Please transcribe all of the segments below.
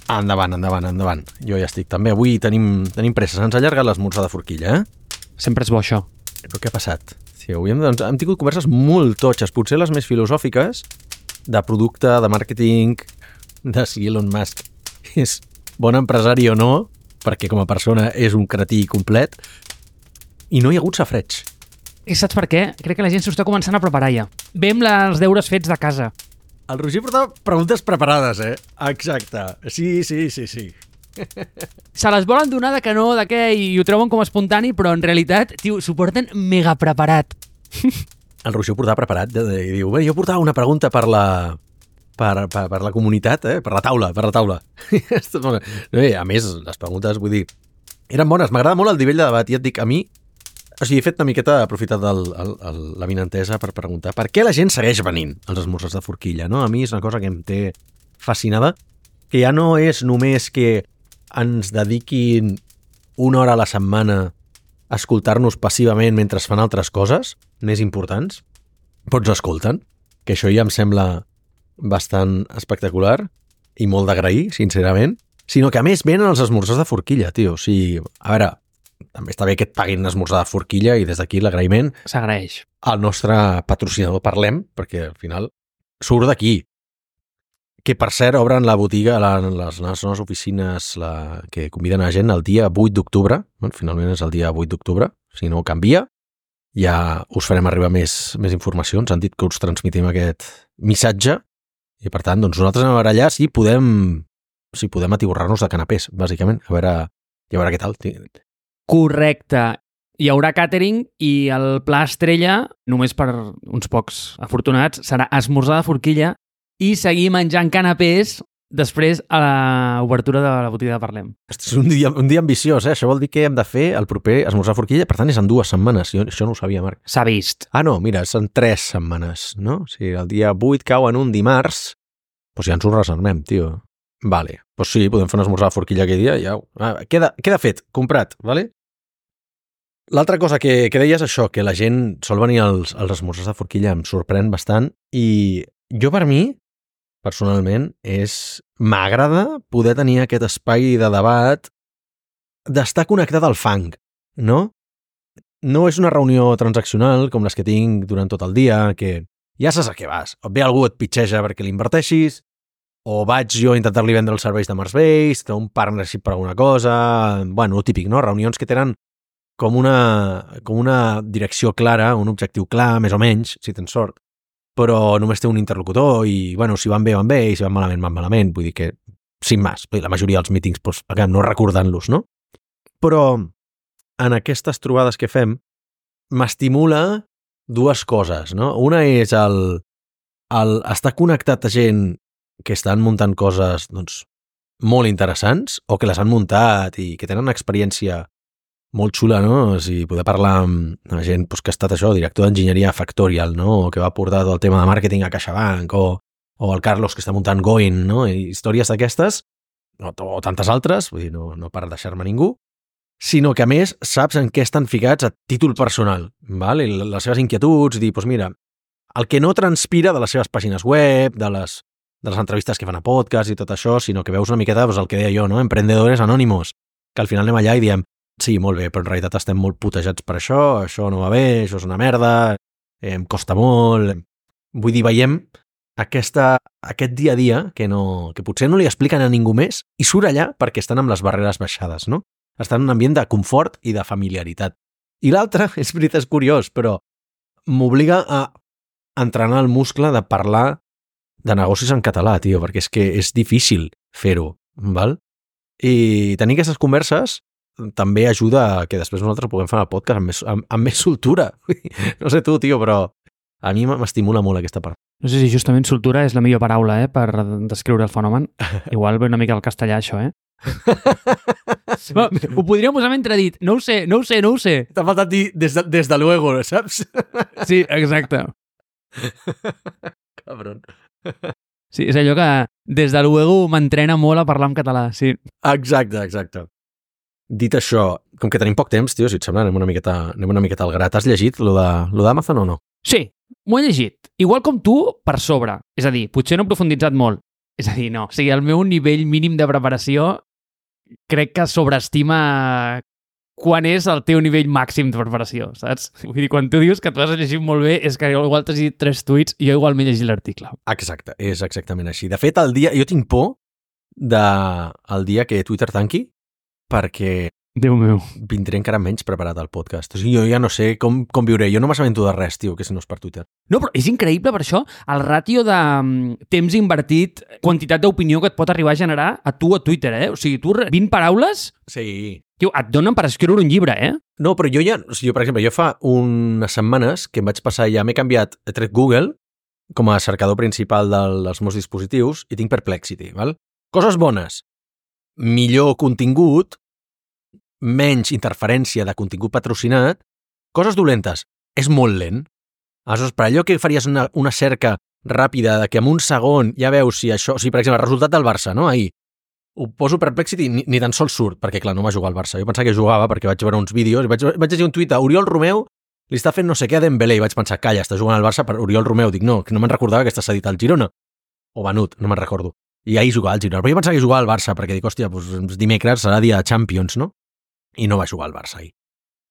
Endavant. Jo ja estic també. Avui tenim pressa. Se'ns ha allargat l'esmorzar de forquilla, Sempre és bo, això. Però què ha passat? Sí, avui hem tingut converses molt totxes, potser les més filosòfiques, de producte, de màrqueting, de si Elon Musk és bon empresari o no, perquè com a persona és un cretí complet, i no hi ha hagut safreig. I saps per què? Crec que la gent s'ho està començant a preparar ja. Ve amb els deures fets de casa. El Roger portava preguntes preparades, Exacte. Sí. Se les volen donar de que no, de què, i ho treuen com a espontani, però en realitat, tio, s'ho porten mega preparat. El Roger ho portava preparat i diu, jo portava una pregunta per la comunitat, per la taula. A més, les preguntes, vull dir, eren bones. M'agrada molt el nivell de debat i et dic, a mi, o sigui, he fet una miqueta, he aprofitat la vinentesa per preguntar per què la gent segueix venint als esmorzars de forquilla, no? A mi és una cosa que em té fascinada, que ja no és només que ens dediquin una hora a la setmana a escoltar-nos passivament mentre fan altres coses més importants, però ens escolten, que això ja em sembla bastant espectacular i molt d'agrair, sincerament, sinó que a més venen els esmorzars de forquilla, tio. O sigui, a veure, també està bé que et paguin esmorzar de forquilla i des d'aquí l'agraïment s'agraeix al nostre patrocinador Parlem, perquè al final surt d'aquí. Que, per cert, obren la botiga, les nostres oficines que conviden a gent el dia 8 d'octubre. Finalment és el dia 8 d'octubre. Si no canvia, ja us farem arribar més informació. Ens han dit que us transmitim aquest missatge i, per tant, doncs nosaltres anem a veure allà si podem atiborrar-nos de canapés, bàsicament. A veure què tal. Correcte. Hi haurà catering i el pla estrella, només per uns pocs afortunats, serà esmorzar de forquilla i seguir menjant canapés després a l'obertura de la botiga de Parlem. És un dia ambiciós, Això vol dir que hem de fer el proper esmorzar de forquilla, per tant és en 2 setmanes. Jo això no ho sabia, Marc. S'ha vist. Ah, no, mira, és en 3 setmanes, no? O sigui, el dia 8 cau en un dimarts, doncs ja ens ho reservem, tio. Vale, doncs sí, podem fer un esmorzar de forquilla aquell dia, ja. Queda fet, comprat, vale? L'altra cosa que deies és això, que la gent sol venir als esmorzars de forquilla, em sorprèn bastant, i jo per mi, personalment, m'agrada poder tenir aquest espai de debat, d'estar connectat al fang, no? No és una reunió transaccional com les que tinc durant tot el dia, que ja saps a què vas. O ve algú et pitxeja perquè l'inverteixis, o vaig jo a intentar-li vendre els serveis de Marsbase, que un partnership per alguna cosa, bueno, típic, no? Reunions que tenen com una direcció clara, un objectiu clar, més o menys, si tens sort, però només té un interlocutor i, bueno, si van bé, i si van malament. Vull dir que, sin més, la majoria dels mítings, doncs, acabem no recordant-los, no? Però en aquestes trobades que fem m'estimula 2 coses, no? Una és el estar connectat a gent que estan muntant coses, doncs, molt interessants o que les han muntat i que tenen una experiència molt xula, no? O sigui, poder parlar amb gent que ha estat això, director d'enginyeria Factorial, no? O que va portar tot el tema de màrqueting a CaixaBank, o el Carlos que està muntant Going, no? I històries d'aquestes, o tantes altres, vull dir, no per deixar-me ningú, sinó que a més saps en què estan ficats a títol personal, val? I les seves inquietuds, dir, doncs mira, el que no transpira de les seves pàgines web, de les entrevistes que fan a podcast i tot això, sinó que veus una miqueta el que deia jo, no? Emprendedores anònimos, que al final anem allà i diem, sí, molt bé, però en realitat estem molt putejats per això no va bé, això és una merda, em costa molt. Vull dir, veiem aquest dia a dia que potser no li expliquen a ningú més i surt allà perquè estan amb les barreres baixades, no? Estan en un ambient de confort i de familiaritat. I l'altre, és veritat, és curiós, però m'obliga a entrenar el muscle de parlar de negocis en català, tio, perquè és que és difícil fer-ho, val? I tenir aquestes converses també ajuda a que després nosaltres puguem fer el podcast amb més soltura. No sé tu, tio, però a mi m'estimula molt aquesta part. No sé si justament soltura és la millor paraula, per descriure el fenomen. Igual ve una mica al castellà, això, Ho podríem usar mentre dit, no ho sé. T'ha faltat dir des de luego, saps? Sí, exacte. Cabron. Sí, és allò que des de luego m'entrena molt a parlar en català, sí. Exacte. Dit això, com que tenim poc temps, tio, si et sembla, anem una miqueta al gra. T'has llegit lo d'Amazon o no? Sí, m'ho he llegit. Igual com tu, per sobre. És a dir, potser no he profunditzat molt. És a dir, no. O sigui, el meu nivell mínim de preparació crec que sobreestima quan és el teu nivell màxim de preparació, saps? Vull dir, quan tu dius que tu has llegit molt bé és que igual t'has llegit 3 tuits i jo igual m'he llegit l'article. Exacte, és exactament així. De fet, jo tinc por el dia que Twitter tanqui perquè Déu meu. vindré encara menys preparat al podcast. O sigui, jo ja no sé com viuré. Jo no m'assabento de res, tio, que si no és per Twitter. No, però és increïble per això el ràtio de temps invertit, quantitat d'opinió que et pot arribar a generar a tu a Twitter, eh? O sigui, tu 20 paraules, Sí. tio, et donen per escriure un llibre, eh? No, però per exemple, jo fa unes setmanes que em vaig passar, ja m'he canviat, he tret Google com a cercador principal dels meus dispositius i tinc Perplexity, val? Coses bones. Millor contingut, menys interferència de contingut patrocinat, coses dolentes. És molt lent. Aleshores, per allò que faries una cerca ràpida de que en un segon ja veus si això... O sigui, per exemple, el resultat del Barça, no? Ahir. Ho poso Perplexity i ni tan sols surt, perquè, clar, no va jugar al Barça. Jo pensava que jugava perquè vaig veure uns vídeos i vaig llegir un tuit a Oriol Romeu li està fent no sé què a Dembélé i vaig pensar, calla, està jugant al Barça per Oriol Romeu. Dic, no, que no me'n recordava que està cedit al Girona. O venut, no me'n recordo. I ahir jugava al Girona. Però jo pensava que jugava al Barça perquè dic, hòstia, doncs dimecres serà dia de Champions, no? I no va jugar al Barça ahir.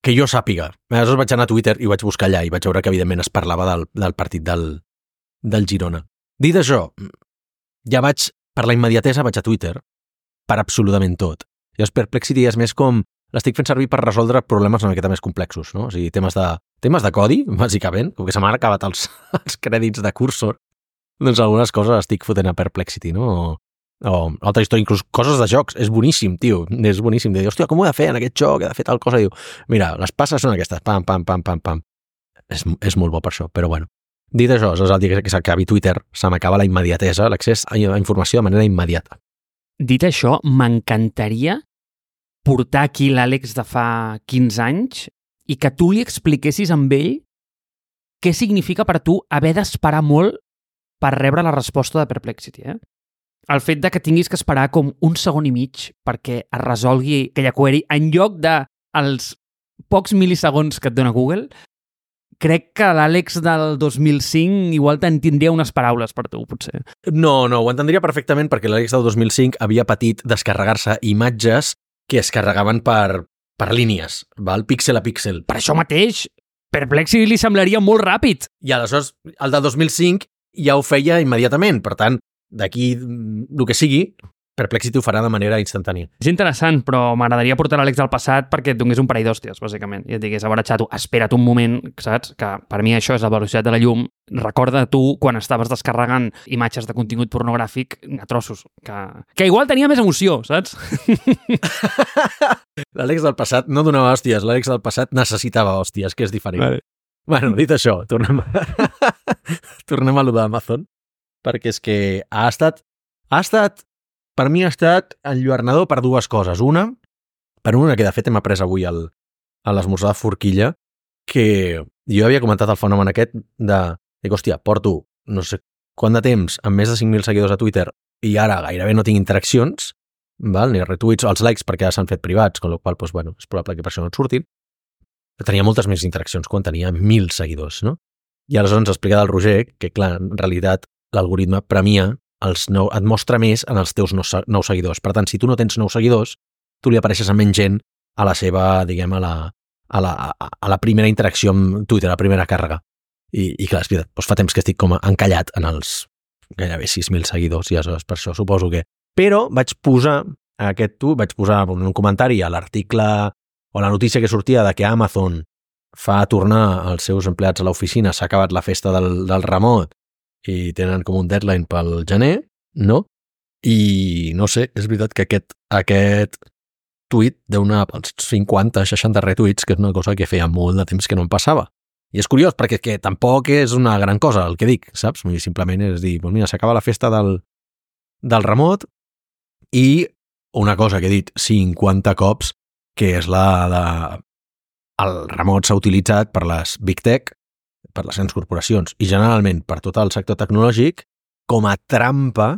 Que jo sàpiga. Aleshores vaig anar a Twitter i vaig buscar allà i vaig veure que, evidentment, es parlava del partit del Girona. Dit això, ja vaig, per la immediatesa, vaig a Twitter per absolutament tot. Llavors, Perplexity és més com... L'estic fent servir per resoldre problemes una miqueta més complexos, no? O sigui, temes de codi, bàsicament, com que se m'han acabat els crèdits de cursor, doncs algunes coses estic fotent a Perplexity, no? O altra història, inclús coses de jocs. És boníssim, tio. És boníssim. De dir, hòstia, com ho he de fer en aquest joc? He de fer tal cosa. Diu, mira, les passes són aquestes. Pam, pam, pam, pam, pam. És molt bo per això, però bueno. Dit això, és el dia que s'acabi Twitter, se m'acaba la immediatesa, l'accés a informació de manera immediata. Dit això, m'encantaria portar aquí l'Àlex de fa 15 anys i que tu li expliquessis amb ell què significa per tu haver d'esperar molt per rebre la resposta de Perplexity, eh? El fet de que tinguis que esperar com un segon i mig perquè es resolgui aquella query en lloc dels pocs milisegons que et dona Google, crec que l'Àlex del 2005 igual te'n tindria unes paraules per tu, potser. No, ho entendria perfectament perquè l'Àlex del 2005 havia patit descarregar-se imatges que es carregaven per línies, val? Píxel a píxel. Per això mateix, Perplexity li semblaria molt ràpid. I aleshores, el del 2005 ja ho feia immediatament, per tant, d'aquí el que sigui, Perplexity ho farà de manera instantània. És interessant, però m'agradaria portar l'Àlex del passat perquè et donés un parell d'hòsties, bàsicament. I et digués, a veure, xato, espera't un moment, saps? Que per mi això és la velocitat de la llum. Recorda tu quan estaves descarregant imatges de contingut pornogràfic a trossos, que igual tenia més emoció, saps? L'Àlex del passat no donava hòsties, l'Àlex del passat necessitava hòsties, que és diferent. Vale. Bueno, dit això, tornem a lo d'Amazon, perquè és que per mi ha estat enlluernador per dues coses. Una que de fet hem après avui a l'esmorzar de forquilla, que jo havia comentat el fenomen aquest dic, hòstia, porto no sé quant de temps amb més de 5.000 seguidors a Twitter i ara gairebé no tinc interaccions, val? Ni retuits, els likes perquè ja s'han fet privats, amb la qual cosa, doncs, bueno, és probable que per això no et surtin. Tenia moltes més interaccions quan tenia 1.000 seguidors, no? I aleshores ens explica del Roger que, clar, en realitat l'algoritme premia et mostra més en els teus nous seguidors. Per tant, si tu no tens nous seguidors, tu li apareixes a menys gent a la seva, diguem, a la primera interacció amb Twitter, a la primera càrrega. I clar, és veritat, doncs fa temps que estic com encallat en els gairebé 6.000 seguidors, i aleshores per això suposo que... Però vaig posar un comentari a l'article o la notícia que sortia de que Amazon fa tornar els seus empleats a l'oficina, s'ha acabat la festa del remot i tenen com un deadline pel gener, no? I no sé, és veritat que aquest tuit deu anar pels 50-60 retuits, que és una cosa que feia molt de temps que no em passava. I és curiós, perquè que tampoc és una gran cosa el que dic, saps? Simplement és dir, doncs mira, s'acaba la festa del remot i una cosa que he dit 50 cops, que és el remot s'ha utilitzat per les Big Tech, per les grans corporacions i generalment per tot el sector tecnològic com a trampa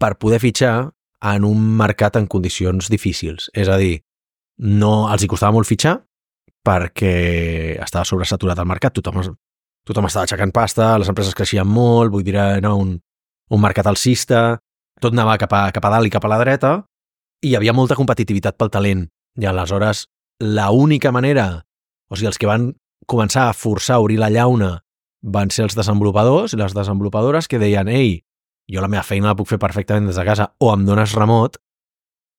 per poder fitxar en un mercat en condicions difícils. És a dir, no els hi costava molt fitxar perquè estava sobresaturat el mercat, tothom estava aixecant pasta, les empreses creixien molt, vull dir, era un un mercat alcista, tot anava cap a dalt i cap a la dreta, i hi havia molta competitivitat pel talent. I aleshores, l'única manera, o sigui, els que van començar a forçar a obrir la llauna van ser els desenvolupadors i les desenvolupadores que deien ei, jo la meva feina la puc fer perfectament des de casa, o em dones remot,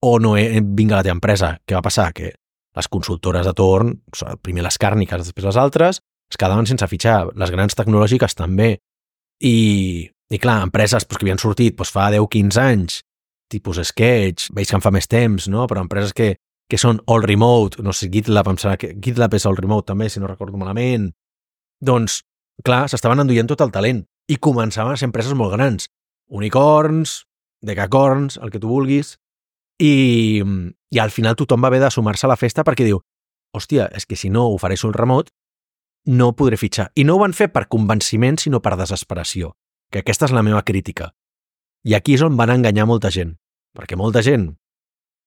o no vinc a la teva empresa. Què va passar? Que les consultores de torn, primer les càrniques, després les altres, es quedaven sense fitxar. Les grans tecnològiques també. I clar, empreses que havien sortit fa 10-15 anys, tipus Sketch, veig que en fa més temps, no? Però empreses que són all remote, no sé, GitLab, em sembla que GitLab és all remote també, si no recordo malament. Doncs, clar, s'estaven enduient tot el talent i començaven a ser empreses molt grans. Unicorns, decacorns, el que tu vulguis. I al final tothom va haver de sumar-se a la festa perquè diu, hòstia, és que si no ofereixo el remot, no podré fitxar. I no ho van fer per convenciment, sinó per desesperació. Que aquesta és la meva crítica. I aquí és on van enganyar molta gent. Perquè molta gent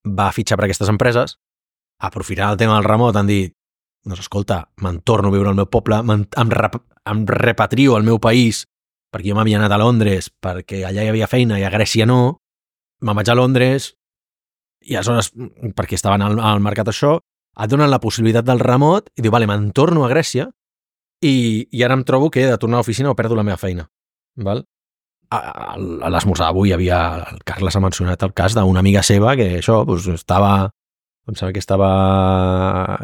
va fitxar per aquestes empreses, aprofitant el tema del remot, han dit, doncs escolta, me'n torno a viure al meu poble, em repatrio al meu país, perquè jo m'havia anat a Londres, perquè allà hi havia feina i a Grècia no, me'n vaig a Londres, i aleshores, perquè estaven al mercat això, et donen la possibilitat del remot i diu, vale, me'n torno a Grècia i ara em trobo que he de tornar a l'oficina o perdo la meva feina. Val? A l'esmorzar avui el Carles ha mencionat el cas d'una amiga seva que això, estava, em sembla que estava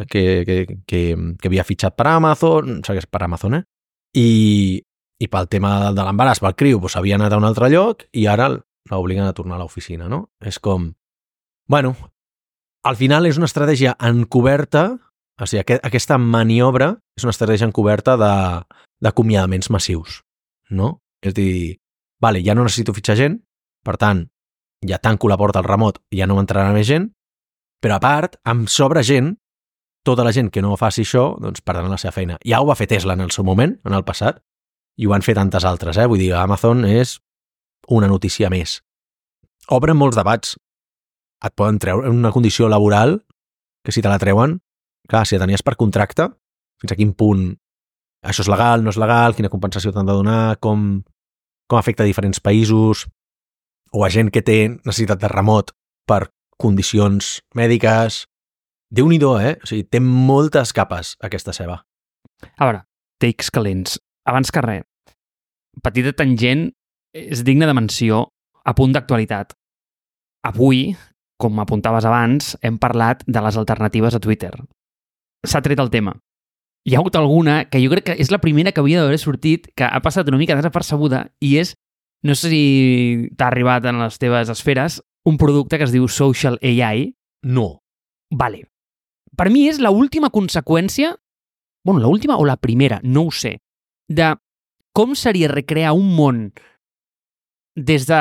que havia fitxat per Amazon, em sembla que és per Amazon, i pel tema de l'embaràs, pel criu, havia anat a un altre lloc i ara l'obliguen a tornar a l'oficina, no? És com, bueno, al final és una estratègia encoberta, o sigui, aquesta maniobra és una estratègia encoberta d'acomiadaments massius, no? És dir, vale, ja no necessito fitxar gent, per tant, ja tanco la porta al remot i ja no m'entrarà més gent, però a part, em sobra gent, tota la gent que no faci això, doncs perdran la seva feina. Ja ho va fer Tesla en el seu moment, en el passat, i ho han fet tantes altres, Vull dir, Amazon és una notícia més. Obren molts debats. Et poden treure una condició laboral que si te la treuen, clar, si la tenies per contracte, fins a quin punt això és legal, no és legal, quina compensació t'han de donar, com afecta a diferents països, o a gent que té necessitat de remot per condicions mèdiques. Déu-n'hi-do, O sigui, té moltes capes, aquesta ceba. A veure, takes calents. Abans que res, petita tangent, és digne de menció, a punt d'actualitat. Avui, com apuntaves abans, hem parlat de les alternatives a Twitter. S'ha tret el tema. Hi ha hagut alguna que jo crec que és la primera que havia d'haver sortit, que ha passat una mica desapercebuda, i és, no sé si t'ha arribat en les teves esferes, un producte que es diu Social AI. No. Vale. Per mi és l'última conseqüència, bueno, l'última o la primera, no ho sé, de com seria recrear un món des de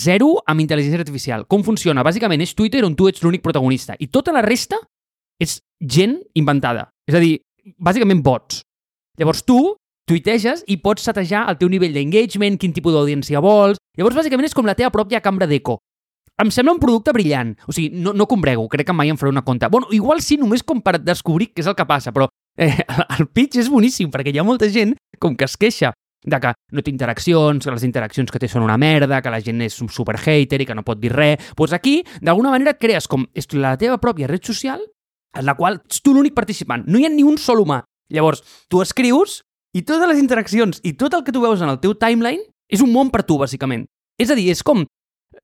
zero amb intel·ligència artificial. Com funciona? Bàsicament és Twitter on tu ets l'únic protagonista i tota la resta és gent inventada. És a dir, bàsicament bots. Llavors tu tuiteges i pots setejar el teu nivell d'engagement, quin tipus d'audiència vols. Llavors bàsicament és com la teva pròpia cambra d'eco. Em sembla un producte brillant. O sigui, no combrego, crec que mai em faré una compte. Bueno, igual sí, només com per descobrir què és el que passa, però el pitch és boníssim perquè hi ha molta gent com que es queixa de que no té interaccions, que les interaccions que té són una merda, que la gent és un super hater i que no pot dir res. Doncs aquí, d'alguna manera, et crees com la teva pròpia red social en la qual ets tu l'únic participant. No hi ha ni un sol humà. Llavors, tu escrius i totes les interaccions i tot el que tu veus en el teu timeline és un món per tu, bàsicament. És a dir, és com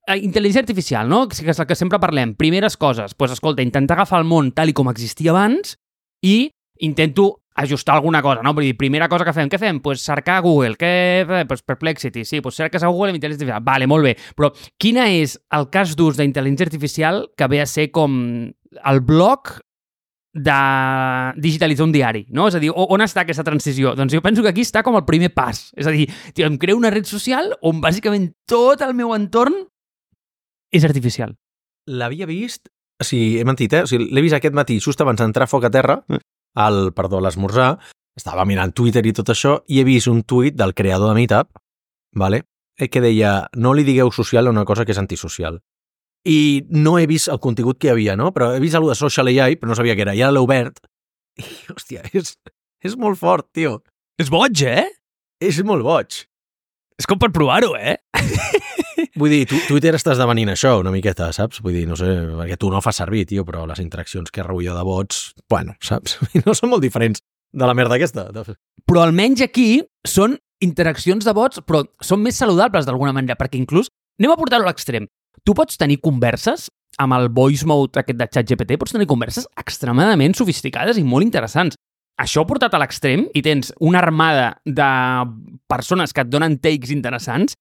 intel·ligència artificial, no? Que és el que sempre parlem. Primeres coses, doncs escolta, intentar agafar el món tal i com existia abans i intento ajustar alguna cosa, no? Vull dir, primera cosa que fem, què fem? Pues cercar a Google, pues Perplexity, sí, pues cerques a Google amb intel·ligència artificial. Vale, molt bé, però quina és el cas d'ús d'intel·ligència artificial que ve a ser com el bloc de digitalitzar un diari, no? És a dir, on està aquesta transició? Doncs jo penso que aquí està com el primer pas. És a dir, tio, em creo una red social on bàsicament tot el meu entorn és artificial. L'havia vist, o sigui, he mentit, O sigui, l'he vist aquest matí, just abans d'entrar a foc a terra, a l'esmorzar, estava mirant Twitter i tot això, i he vist un tuit del creador de Meetup, vale? Que deia, no li digueu social a una cosa que és antisocial. I no he vist el contingut que hi havia, no? Però he vist alguna de Social AI, però no sabia què era. I ara l'he obert. I, hòstia, és molt fort, tio. És boig, És molt boig. És com per provar-ho, Vull dir, Twitter està esdevenint això una miqueta, saps? Vull dir, no sé, perquè tu no fas servir, tio, però les interaccions que rebull jo de bots, bueno, saps? No són molt diferents de la merda aquesta. Però almenys aquí són interaccions de bots, però són més saludables d'alguna manera, perquè inclús, anem a portar-ho a l'extrem, tu pots tenir converses amb el voice mode aquest de ChatGPT, pots tenir converses extremadament sofisticades i molt interessants. Això portat a l'extrem i tens una armada de persones que et donen takes interessants,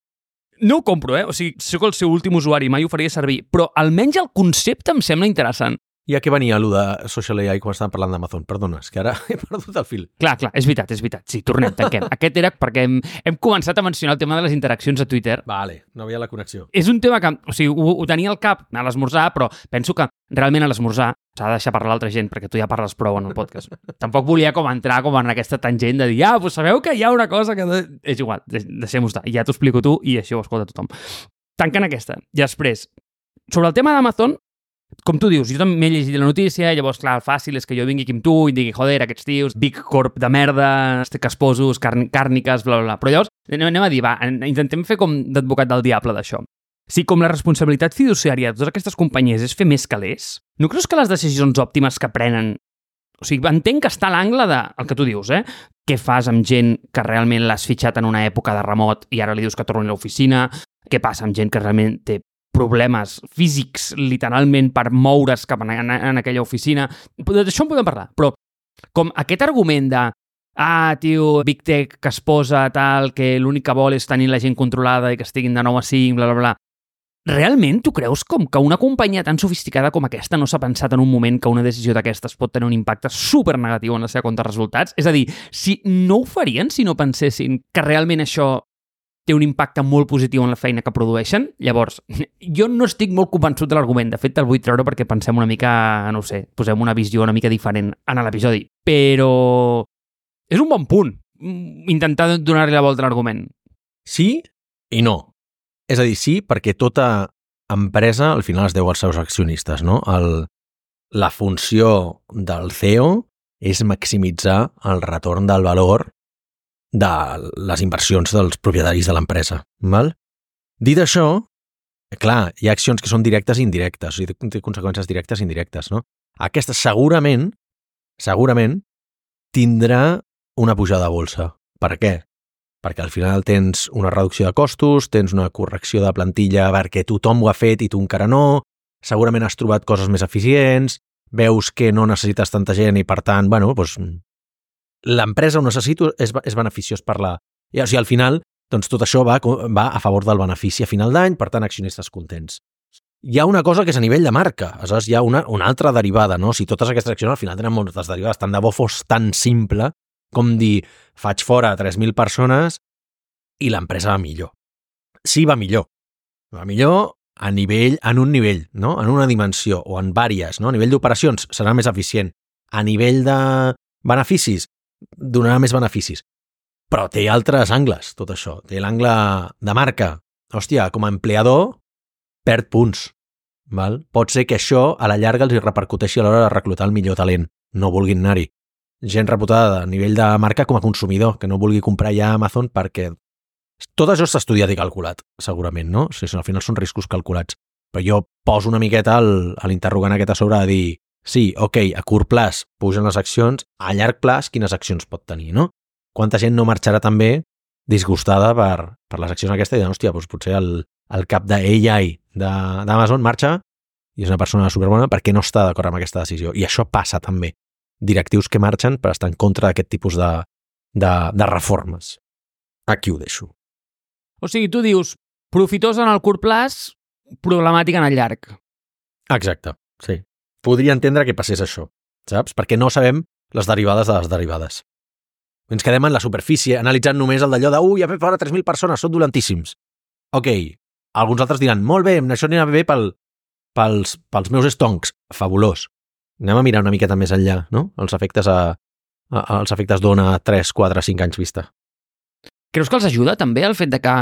no ho compro, O sigui, sóc el seu últim usuari, mai ho faria servir, però almenys el concepte em sembla interessant. I a què venia allò de Social AI quan estàvem parlant d'Amazon? Perdona, és que ara he perdut el fil. Clar, és veritat. Sí, tornem, tanquem. Aquest era perquè hem començat a mencionar el tema de les interaccions a Twitter. Vale, no havia la connexió. És un tema que, o sigui, ho tenia al cap a l'esmorzar, però penso que realment a l'esmorzar s'ha de deixar parlar l'altra gent, perquè tu ja parles prou en el podcast. Tampoc volia entrar en aquesta tangent de dir, pues sabeu que hi ha una cosa que... És igual, deixem-ho estar. Ja t'ho explico tu i això ho escolta tothom. Tancant aquesta. I després, sobre el tema d'Amazon, com tu dius, jo també he llegit la notícia, llavors, clar, el fàcil és que jo vingui aquí amb tu i digui, joder, aquests tios, Big Corp de merda, casposos, càrniques, bla, bla, bla. Però llavors, anem a dir, intentem fer com d'advocat del diable d'això. Si com la responsabilitat fiduciària de totes aquestes companyies és fer més calés, no creus que les decisions òptimes que prenen... O sigui, entenc que està a l'angle de, el que tu dius, què fas amb gent que realment l'has fitxat en una època de remot i ara li dius que torni a l'oficina, què passa amb gent que realment té problemes físics, literalment, per moure's cap en aquella oficina. D'això en podem parlar, però com aquest argument de tio, Big Tech que es posa tal, que l'únic que vol és tenir la gent controlada i que estiguin de 9 a 5, bla, bla, bla. Realment tu creus com que una companyia tan sofisticada com aquesta no s'ha pensat en un moment que una decisió d'aquestes pot tenir un impacte supernegatiu en la seva compte de resultats? És a dir, si no ho farien si no pensessin que realment això té un impacte molt positiu en la feina que produeixen. Llavors, jo no estic molt convençut de l'argument. De fet, te'l vull treure perquè pensem una mica, no ho sé, posem una visió una mica diferent en l'episodi. Però és un bon punt intentar donar-li la volta a l'argument. Sí i no. És a dir, sí, perquè tota empresa al final es deu als seus accionistes, no? La funció del CEO és maximitzar el retorn del valor de les inversions dels propietaris de l'empresa. Dit això, clar, hi ha accions que són directes i indirectes, o sigui, té conseqüències directes i indirectes, no? Aquesta segurament tindrà una pujada de bolsa. Per què? Perquè al final tens una reducció de costos, tens una correcció de plantilla perquè tothom ho ha fet i tu encara no, segurament has trobat coses més eficients, veus que no necessites tanta gent i per tant, bueno, doncs l'empresa ho necessito, és beneficiós per la... I, o sigui, al final, doncs tot això va a favor del benefici a final d'any, per tant, accionistes contents. Hi ha una cosa que és a nivell de marca, aleshores hi ha una altra derivada, no? Si totes aquestes accions al final tenen moltes derivades, tant de bo fos tan simple com dir, faig fora 3.000 persones i l'empresa va millor. Sí, va millor. Va millor en un nivell, no? En una dimensió, o en vàries, no? A nivell d'operacions serà més eficient. A nivell de beneficis, donarà més beneficis. Però té altres angles, tot això. Té l'angle de marca. Hòstia, com a empleador, perd punts. Val? Pot ser que això a la llarga els repercuteixi a l'hora de reclutar el millor talent. No vulguin anar-hi. Gent reputada a nivell de marca com a consumidor, que no vulgui comprar ja a Amazon perquè... Tot això s'ha estudiat i calculat, segurament, no? O sigui, al final són riscos calculats. Però jo poso una miqueta a l'interrogant aquest a sobre de dir sí, ok, a curt plaç pugen les accions, a llarg plaç quines accions pot tenir, no? Quanta gent no marxarà també disgustada per les accions aquestes i diran, hòstia, doncs potser el cap d'AI d'Amazon marxa i és una persona superbona perquè no està d'acord amb aquesta decisió. I això passa també. Directius que marxen per estar en contra d'aquest tipus de reformes. Aquí ho deixo. O sigui, tu dius, profitós en el curt plaç, problemàtic en el llarg. Exacte, sí. Podria entendre que passés això, saps? Perquè no sabem les derivades de les derivades. Ens quedem en la superfície, analitzant només el d'allò de ja fet fora 3.000 persones, són dolentíssims. Ok, alguns altres diran, molt bé, això anirà bé pels meus estoncs. Fabulós. Anem a mirar una miqueta més enllà, no? Els efectes d'ona 3, 4, 5 anys vista. Creus que els ajuda també el fet de que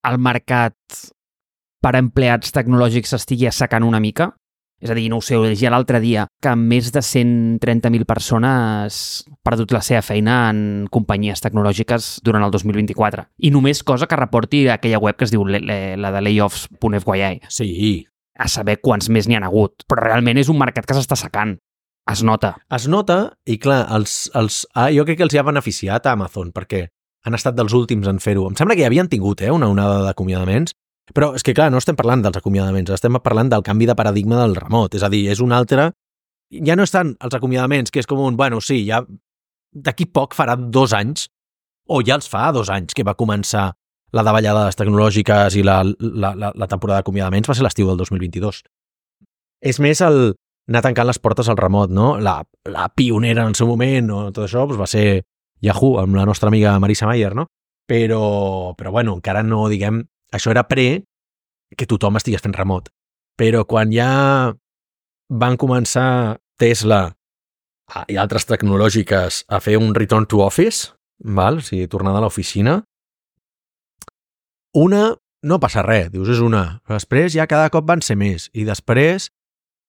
el mercat per empleats tecnològics s'estigui assecant una mica? És a dir, no ho sé, ho llegia l'altre dia, que més de 130.000 persones han perdut la seva feina en companyies tecnològiques durant el 2024. I només cosa que reporti aquella web que es diu la de layoffs.fyi. Sí. A saber quants més n'hi ha hagut. Però realment és un mercat que s'està secant. Es nota. Es nota, i clar, jo crec que els hi ha beneficiat a Amazon, perquè han estat dels últims en fer-ho. Em sembla que ja havien tingut una onada d'acomiadaments, però és que, clar, no estem parlant dels acomiadaments, estem parlant del canvi de paradigma del remot. És a dir, és un altre... Ja no estan els acomiadaments, que és com un... Bueno, sí, ja d'aquí poc farà 2 anys, o ja els fa 2 anys que va començar la davallada de les tecnològiques i la temporada d'acomiadaments va ser l'estiu del 2022. És més el anar tancant les portes al remot, no? La pionera en el seu moment, o tot això, doncs va ser Yahoo, amb la nostra amiga Marisa Mayer, no? Però bueno, encara no, diguem... Això era que tothom estigués fent remot. Però quan ja van començar Tesla i altres tecnològiques a fer un return to office, val? O sigui, tornada a l'oficina, no passa res, dius, és una. Però després ja cada cop van ser més. I després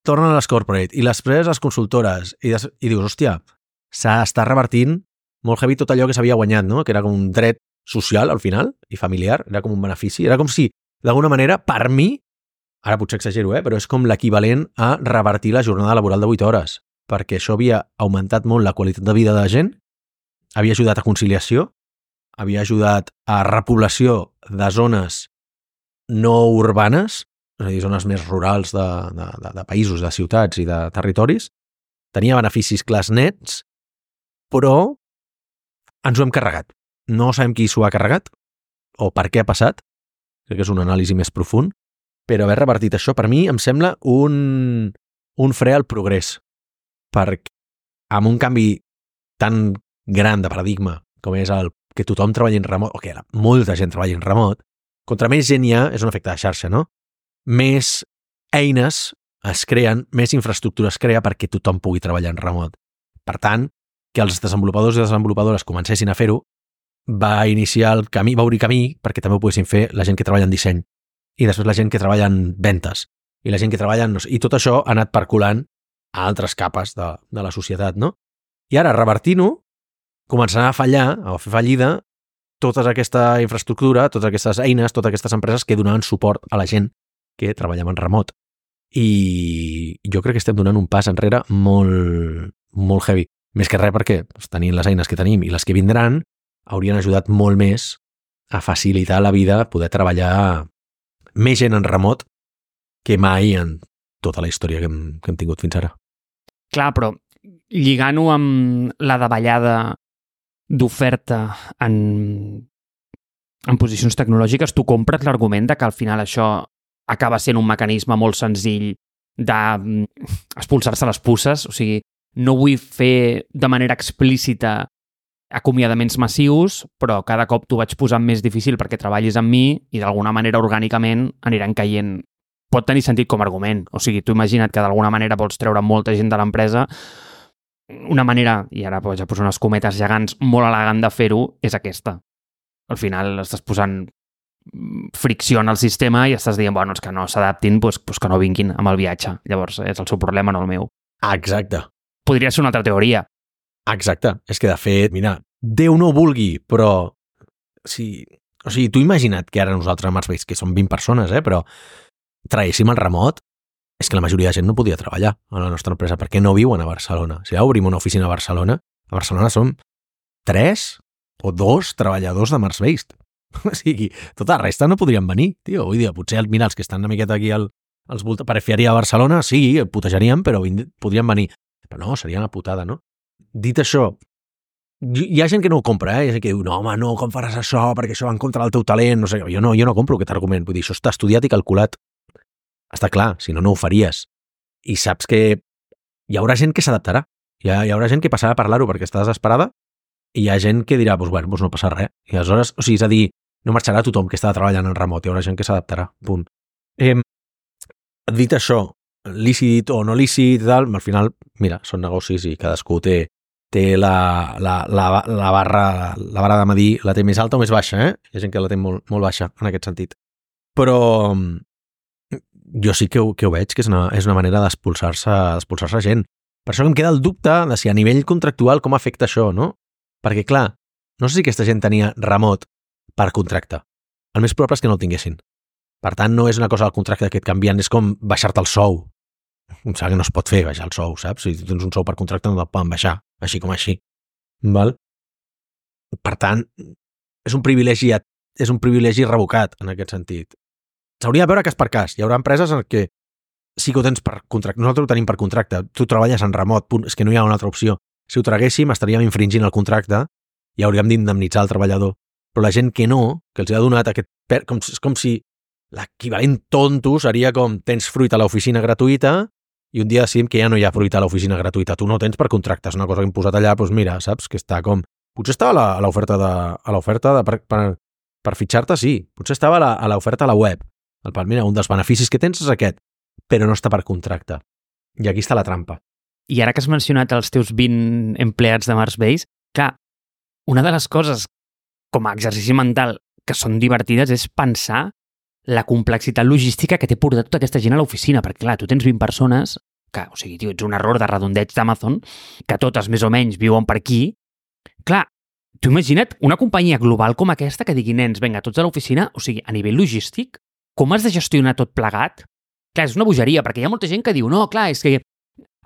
tornen a les corporate. I després les consultores. I dius, hòstia, s'està revertint molt heavy tot allò que s'havia guanyat, no? Que era com un dret social, al final, i familiar. Era com un benefici. Era com si, d'alguna manera, per mi, ara potser exagero, però és com l'equivalent a revertir la jornada laboral de 8 hores. Perquè això havia augmentat molt la qualitat de vida de la gent, havia ajudat a conciliació, havia ajudat a repoblació de zones no urbanes, és a dir, zones més rurals de països, de ciutats i de territoris, tenia beneficis clars nets, però ens ho hem carregat. No sabem qui s'ho ha carregat o per què ha passat, crec que és una anàlisi més profund, però haver revertit això per mi em sembla un fre al progrés, perquè amb un canvi tan gran de paradigma com és el que tothom treballi en remot, o que molta gent treballi en remot, contra més gent hi ha, és un efecte de xarxa, no? Més eines es creen, més infraestructura es crea perquè tothom pugui treballar en remot. Per tant, que els desenvolupadors i desenvolupadores comencessin a fer-ho va iniciar el camí, va obrir camí perquè també ho poguessin fer la gent que treballa en disseny i després la gent que treballa en ventes i la gent que treballa en... I tot això ha anat percolant a altres capes de la societat, no? I ara, revertint-ho, començarà a fallar, a fer fallida, tota aquesta infraestructura, totes aquestes eines, totes aquestes empreses que donaven suport a la gent que treballava en remot. I jo crec que estem donant un pas enrere molt, molt heavy. Més que res perquè tenint les eines que tenim i les que vindran haurien ajudat molt més a facilitar la vida, poder treballar més gent en remot que mai en tota la història que hem tingut fins ara. Clar, però lligant-ho amb la davallada d'oferta en posicions tecnològiques, tu compres l'argument de que al final això acaba sent un mecanisme molt senzill d'expulsar-se les puces, o sigui, no vull fer de manera explícita acomiadaments massius, però cada cop t'ho vaig posant més difícil perquè treballis amb mi i d'alguna manera orgànicament aniran caient. Pot tenir sentit com a argument. O sigui, tu imagina't que d'alguna manera vols treure molta gent de l'empresa. Una manera, i ara ja poso unes cometes gegants, molt elegant de fer-ho és aquesta. Al final estàs posant fricció en el sistema i estàs dient, bueno, és que no s'adaptin, doncs que no vinguin amb el viatge. Llavors és el seu problema, no el meu. Exacte. Podria ser una altra teoria. Exacte. És que, de fet, mira, Déu no ho vulgui, però... O sigui, tu imagina't que ara nosaltres a Marsbase, que som 20 persones, però traguéssim el remot, és que la majoria de gent no podia treballar a la nostra empresa perquè no viuen a Barcelona. Si ja obrim una oficina a Barcelona som 3 o 2 treballadors de Marsbase. O sigui, tota la resta no podrien venir, tio. Vull dir, potser mira, els que estan una miqueta aquí als voltants, periferia a Barcelona, sí, putejarien, però podrien venir. Però no, seria una putada, no? Dit això, hi ha gent que no ho compra, hi ha gent que diu, no, home, no, com faràs això, perquè això va en contra del teu talent, no sé, jo no compro aquest argument, vull dir, això està estudiat i calculat. Està clar, si no, no ho faries. I saps que hi haurà gent que s'adaptarà, hi haurà gent que passarà a parlar-ho perquè està desesperada i hi ha gent que dirà, doncs bueno, no passa res. I aleshores, o sigui, és a dir, no marxarà tothom que està treballant en remot, hi haurà gent que s'adaptarà, punt. Dit això, lícit o no lícit, tal, al final, mira, són negocis i cadascú té la barra de medir, la té més alta o més baixa, Hi ha gent que la té molt, molt baixa en aquest sentit. Però jo sí que ho veig, que és una manera d'expulsar-se gent. Per això em queda el dubte de si a nivell contractual com afecta això, no? Perquè, clar, no sé si aquesta gent tenia remot per contracte. El més probable és que no el tinguessin. Per tant, no és una cosa del contracte que et canvien, és com baixar-te el sou. Em sembla que no es pot fer baixar el sou, saps? Si tens un sou per contracte no el poden baixar, així com així. Val? Per tant, és un privilegi revocat en aquest sentit. S'hauria de veure cas per cas. Hi haurà empreses en què sí que ho tens per contracte. Nosaltres ho tenim per contracte. Tu treballes en remot, punt. És que no hi ha una altra opció. Si ho traguéssim, estaríem infringint el contracte i hauríem d'indemnitzar el treballador. Però la gent que no, que els ha donat aquest... És com si l'equivalent tonto seria com tens fruita a l'oficina gratuïta i un dia decidim que ja no hi ha fruita a l'oficina gratuïta. Tu no ho tens per contracte. És una cosa que hem posat allà, doncs mira, saps? Que està com... Potser estava a l'oferta per fitxar-te, sí. Potser estava a l'oferta a la web. Mira, un dels beneficis que tens és aquest, però no està per contracte. I aquí està la trampa. I ara que has mencionat els teus 20 empleats de Mars Base, clar, una de les coses com a exercici mental que són divertides és pensar la complexitat logística que té portar tota aquesta gent a l'oficina, perquè clar, tu tens 20 persones que, o sigui, tio, ets un error de redondeig d'Amazon, que totes més o menys viuen per aquí. Clar, tu imagina't una companyia global com aquesta que digui, nens, vinga, tots a l'oficina, o sigui, a nivell logístic, com has de gestionar tot plegat? Clar, és una bogeria, perquè hi ha molta gent que diu, no, clar, és que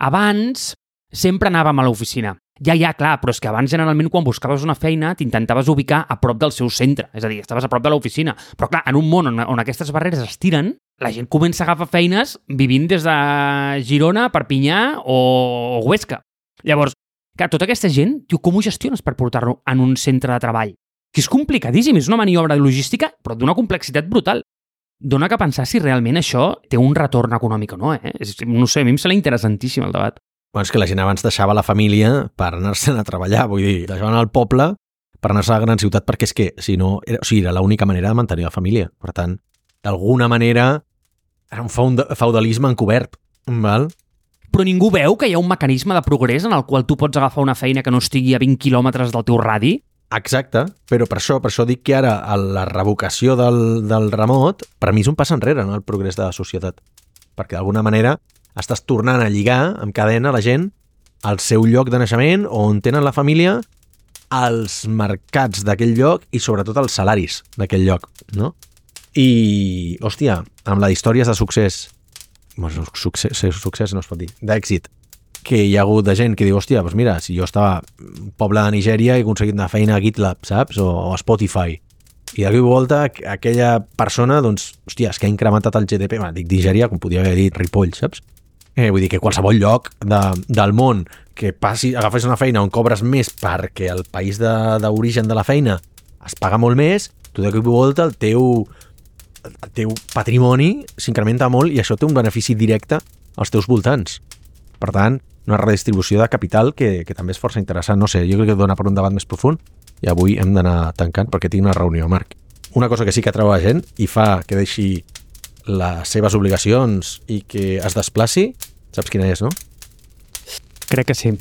abans sempre anàvem a l'oficina. Ja, clar, però és que abans generalment quan buscaves una feina t'intentaves ubicar a prop del seu centre, és a dir, estaves a prop de l'oficina. Però clar, en un món on aquestes barreres es tiren, la gent comença a agafar feines vivint des de Girona, Perpinyà o Huesca. Llavors, clar, tota aquesta gent, tio, com ho gestiones per portar-lo en un centre de treball? Que és complicadíssim, és una maniobra logística, però d'una complexitat brutal. Dóna que pensar si realment això té un retorn econòmic o no, eh? No sé, a mi em sembla interessantíssim el debat. Bueno, és que la gent abans deixava la família per anar-se'n a treballar, vull dir, deixaven al poble per anar-se a la gran ciutat, perquè és que, si no, era l'única manera de mantenir la família. Per tant, d'alguna manera, era un feudalisme encobert, val? Però ningú veu que hi ha un mecanisme de progrés en el qual tu pots agafar una feina que no estigui a 20 quilòmetres del teu radi? Exacte, però per això dic que ara la revocació del remot per mi és un pas enrere en el progrés de la societat, perquè d'alguna manera estàs tornant a lligar amb cadena la gent al seu lloc de naixement o on tenen la família, als mercats d'aquell lloc i sobretot als salaris d'aquell lloc, no? I, hòstia, amb la d'històries de succés, bueno, succés no es pot dir, d'èxit, que hi ha hagut de gent que diu, hòstia, doncs mira, si jo estava un poble de Nigèria i he aconseguit una feina a GitLab, saps? O a Spotify. I de cop i volta aquella persona, doncs, hòstia, és que ha incrementat el GDP, dic Nigèria, com podia haver dit Ripoll, saps? Vull dir que qualsevol lloc del món que agafes una feina on cobres més perquè el país d'origen de la feina es paga molt més, tu de cop i volta el teu patrimoni s'incrementa molt i això té un benefici directe als teus voltants. Per tant, una redistribució de capital que també és força interessant. No sé, jo crec que dona per un debat més profund i avui hem d'anar tancant perquè tinc una reunió, Marc. Una cosa que sí que atreu la gent i fa que deixi les seves obligacions i que es desplaci, saps quina és, no? Crec que sí.